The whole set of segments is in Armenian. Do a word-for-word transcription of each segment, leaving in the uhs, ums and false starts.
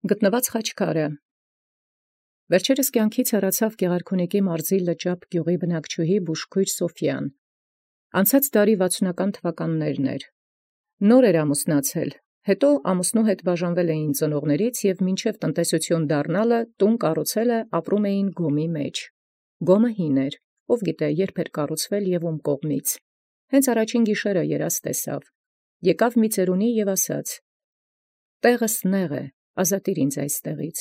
Գտնված խաչքարը։ Վերջերս կյանքից հեռացավ Գեղարքունիքի մարզի Լճապ գյուղի բնակչուհի Բուժքույր Սոֆիան։ Անցած դարի վաթսունական թվականներն էր։ Նոր էր ամուսնացել, հետո ամուսնու հետ բաժանվել էին ծնողներից և մինչև տնտեսություն դառնալը տուն կառուցելը ապրում էին գոմի մեջ։ Գոմը հին էր, ով գիտե երբ էր կառուցվել և ում կողմից։ Հենց առաջին գիշերը երազ տեսավ։ Եկավ մի ծերունի և ասաց. «Տեղս նեղ է, ազատիր ինձ այստեղից»։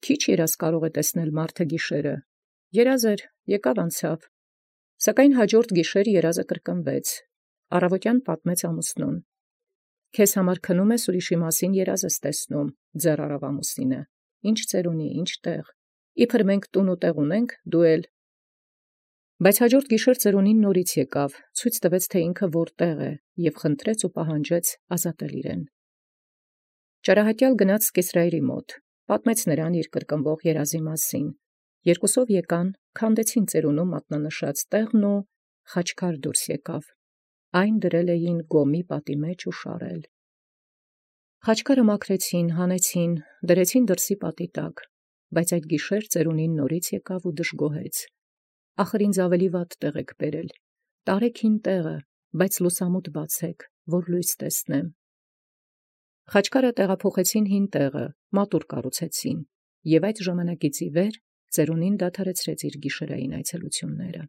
Քիչ երազ կարող է տեսնել մարդը գիշերը։ Երազ էր, եկավ անցավ։ Սակայն հաջորդ գիշեր երազը կրկնվեց։ Առավոտյան պատմեց ամուսնուն. «Քեզ համար քնում ես, ուրիշի մասին երազ ես տեսնում», ձեռ արավ ամուսինը։ «Ինչ ծերունի, ինչ տեղ, իբր մենք տուն ու տեղ ունենք, դու էլ»։ Բայց հաջորդ գիշեր ծերունին նորից եկավ, ցույց տվեց, թե ինքը որտեղ է, և խնդրեց ու պահանջեց ազատել իրեն։ Ճարահատյալ գնաց կեսրայրի մոտ, պատմեց նրան իր կրկնվող երազի մասին։ Երկուսով եկան, քանդեցին ծերունու մատնանշած տեղն ու խաչքար դուրս եկավ։ Այն դրել էին գոմի պատի մեջ ու շարել։ Խաչքարը մաքրեցին, հանեցին, դրեցին դրսի պատի տակ, բայց այդ գիշեր ծերունին նորից եկավ ու դժգոհեց. «Ախր ինձ ավելի վատ տեղ եք բերել, տարեք հին տեղը, բայց լուսամուտ բացեք, որ լույս տեսնեմ»։ Խաչքարը տեղափոխեցին հին տեղը, մատուռ կառուցեցին, և այդ ժամանակից ի վեր ծերունին դադարեցրեց իր գիշերային այցելությունները։